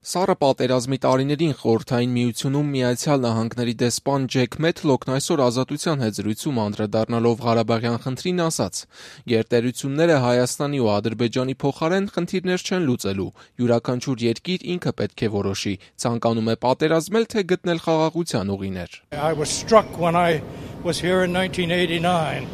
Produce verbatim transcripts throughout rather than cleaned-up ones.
Սառը պատերազմի տարիներին Խորհրդային Միությունում Միացյալ Նահանգների դեսպան Ջեք Մեթլոքն այսօր Ազատության հետ զրույցում անդրադառնալով Ղարաբաղյան խնդրին ասաց. «Գերտերությունները Հայաստանի ու Ադրբեջանի փոխարեն խնդիրներ չեն լուծելու, յուրաքանչյուր երկիր ինքը պետք է որոշի՝ ցանկանում է պատերազմել, թե գտնել խաղաղության ուղիներ»։ I was struck when I was here in nineteen eighty-nine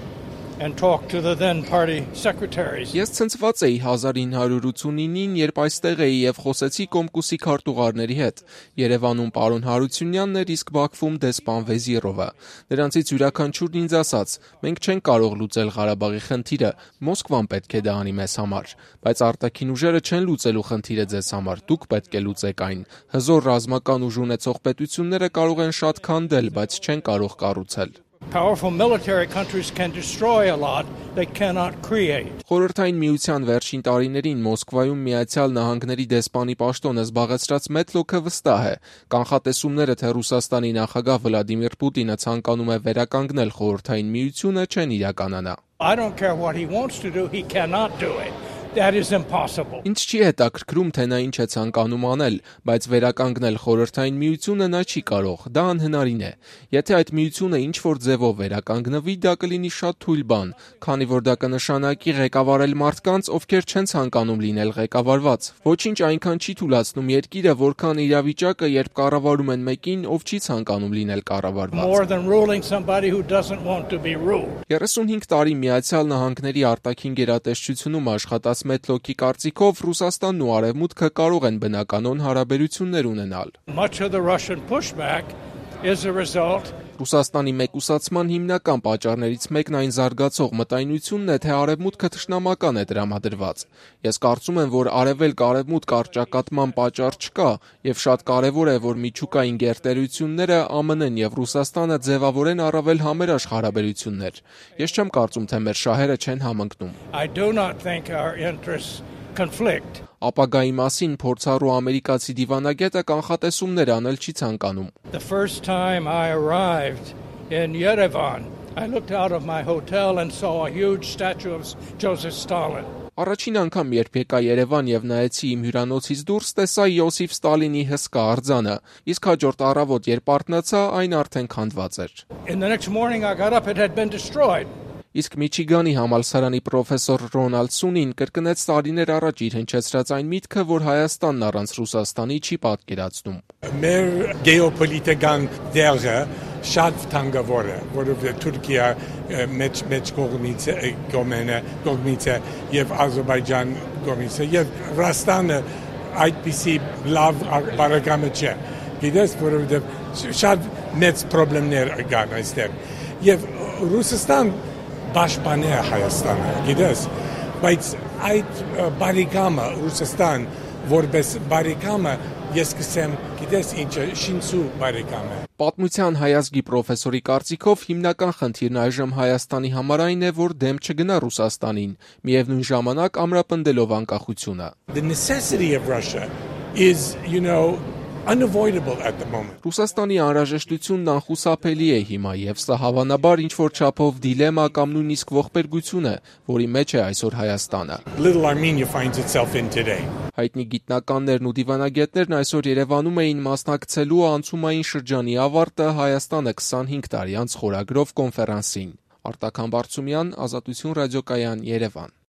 and talked to the then party secretaries. Ես ցնցված էի հազար ինը հարյուր ութսունինին, երբ այստեղ էի եւ խոսեցի Կոմկուսի քարտուղարների հետ։ Երևանում պարոն Հարությունյանն էր, իսկ Բաքվում դեսպան Վեզիրովը։ Նրանցից յուրաքանչյուրն ինձ ասաց. «Մենք չենք կարող լուծել Ղարաբաղի խնդիրը, Մոսկվան պետք է դա անի մեզ համար, բայց արտաքին ուժերը չեն լուծելու խնդիրը ձեզ համար, դուք պետք է լուծեք այն։ Հզոր ռազմական ուժ ունեցող պետությունները կարող են շատ քանդել, բայց չեն կարող կառուցել»։ Powerful military countries can destroy a lot, they cannot create. Խորհրդային Միության վերջին տարիներին Մոսկվայում Միացյալ Նահանգների դեսպանի պաշտոնը զբաղեցրած Մեթլոքը վստահ է. կանխատեսումները, թե Ռուսաստանի նախագահ Վլադիմիր Պուտինը ցանկանում է վերականգնել Խորհրդային Միությունը, չեն իրականանա։ I don't care what he wants to do, he cannot do it. That is impossible. Ինձ չի հետաքրքրում, թե նա ինչ է ցանկանում անել, բայց վերականգնել Խորհրդային Միությունը նա չի կարող, դա անհնարին է։ Եթե այդ միությունը ինչ-որ ձևով վերականգնվի, դա կլինի շատ թույլ բան, քանի որ դա կնշանակի ղեկավարել մարդկանց, ովքեր չեն ցանկանում լինել ղեկավարված։ Ոչինչ այնքան չի թուլացնում երկիրը, որքան իրավիճակը, երբ կառավարում են մեկին, ով չի ցանկանում լինել կառավարված։ More than ruling somebody who doesn't want to be ruled. երեսունհինգ տարի Միացյալ Նահանգների արտաքին գերատեսչությունում աշխատած Մեթլոքի կարծիքով Ռուսաստանն ու Արևմուտքը կարող են բնականոն հարաբերություններ ունենալ։ Much of the Russian pushback is a result Ռուսաստանի մեկուսացման հիմնական պատճառներից մեկն այն զարգացող մտայնությունն է, թե Արևմուտքը թշնամական է տրամադրված։ Ես կարծում եմ, որ արևելք-արևմուտք առճակատման պատճառ չկա, եւ շատ կարեւոր է, որ միջուկային գերտերությունները ԱՄՆ N-ն եւ Ռուսաստանը ձևավորեն առավել համերաշխ հարաբերություններ։ Ես չեմ կարծում, թե մեր շահերը չեն համընկնում։ I do not think our interests conflict. Ապագայի մասին փորձառու ամերիկացի դիվանագետը կանխատեսումներ անել չի ցանկանում։ The first time I arrived in Yerevan, I looked out of my hotel and saw a huge statue of Joseph Stalin. Առաջին անգամ, երբ եկա Երևան եւ նայեցի իմ հյուրանոցից դուրս, տեսա Յոսիֆ Ստալինի հսկա արձանը, իսկ հաջորդ առավոտ, երբ արթնացա, այն արդեն քանդված էր։ In the next morning I got up, it had been destroyed. Իսկ Միչիգանի համալսարանի պրոֆեսոր Ռոնալդ Սունին կրկնեց տարիներ առաջ իր հնչեցրած այն միտքը, որ Հայաստանն առանց Ռուսաստանի չի պատկերացնում։ Մեր գեոպոլիտիկան դերը շատ թանկավոր է, որովհետև Թուրքիա մեծ մեծ կողմից կողմենը կողմից է եւ Ադրբեջան կողմից է եւ Ռուսաստանը այդպիսի լավ բարեկամը չէ։ Գիտես, որովհետև շատ մեծ խնդիրներ կան այստեղ եւ Ռուսաստան Պաշտպան է Հայաստանը, գիտես, բայց այդ բարեկամը Ռուսաստան որպես բարեկամը ես կսեմ, գիտես ինչը շինծու բարեկամ է։ Պատմության հայազգի պրոֆեսորի կարծիքով հիմնական խնդիրն այժմ Հայաստանի համար այն է, որ դեմ չգնա Ռուսաստանին, միևնույն ժամանակ ամրապնդելով անկախությունը։ The necessity of Russia is, you know, unavoidable at the moment. Ռուսաստանի անհրաժեշտությունն անխուսափելի է հիմա եւ սա հավանաբար ինչ-որ չափով դիլեմա կամ նույնիսկ ողբերգություն է, որի մեջ է այսօր Հայաստանը։ Little Armenia finds itself in today. Հայտնի գիտնականներն ու դիվանագետներն այսօր Երևանում էին մասնակցելու անցումային շրջանի ավարտը Հայաստանը քսանհինգ տարի անց խորագրով կոնֆերանսին։ Արտակ Համբարձումյան, Ազատություն ռադիոկայան, Երևան։